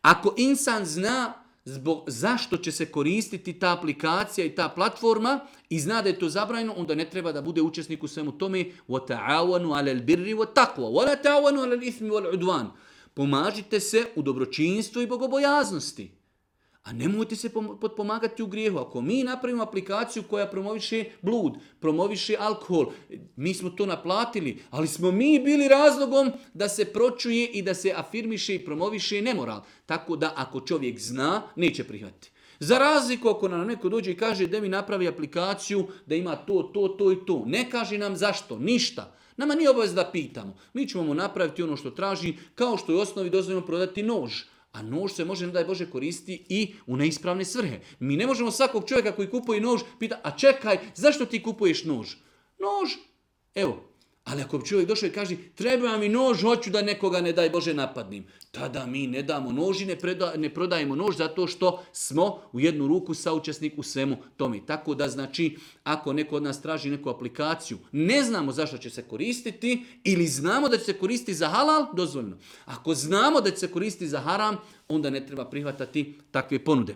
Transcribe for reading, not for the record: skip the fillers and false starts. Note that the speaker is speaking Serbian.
Ako insan zna zašto će se koristiti ta aplikacija i ta platforma i zna da je to zabranjeno, onda ne treba da bude učesnik u svemu tome. وَتَعَوَنُوا عَلَى الْبِرِّ وَالتَّقْوَى وَلَا تَعَوَنُوا عَلَى الْإِثْمِ وَالْعُدْوَانِ. Pomažite se u dobročinstvu i bogobojaznosti. A nemojte se potpomagati u grijehu. Ako mi napravimo aplikaciju koja promoviše blud, promoviše alkohol, mi smo to naplatili, ali smo mi bili razlogom da se pročuje i da se afirmiše i promoviše nemoral. Tako da ako čovjek zna, neće prihvatiti. Za razliku ako nam neko dođe i kaže da mi napravi aplikaciju, da ima to i to. Ne kaže nam zašto, ništa. Nama nije obaveza da pitamo. Mi ćemo mu napraviti ono što traži, kao što je u osnovi dozvoljeno prodati nož. A nož se može, ne daj Bože, koristiti i u neispravne svrhe. Mi ne možemo svakog čovjeka koji kupuje nož pita, a čekaj, zašto ti kupuješ nož? Nož, evo. Ali ako bi čovjek došao i kaže, treba mi nož, hoću da nekoga, ne daj Bože, napadnim. Tada mi ne damo nož i ne prodajemo nož zato što smo u jednu ruku saučesnik u svemu tome. Tako da znači, ako neko od nas traži neku aplikaciju, ne znamo zašto će se koristiti ili znamo da će se koristiti za halal, dozvoljeno. Ako znamo da će se koristiti za haram, onda ne treba prihvatati takve ponude.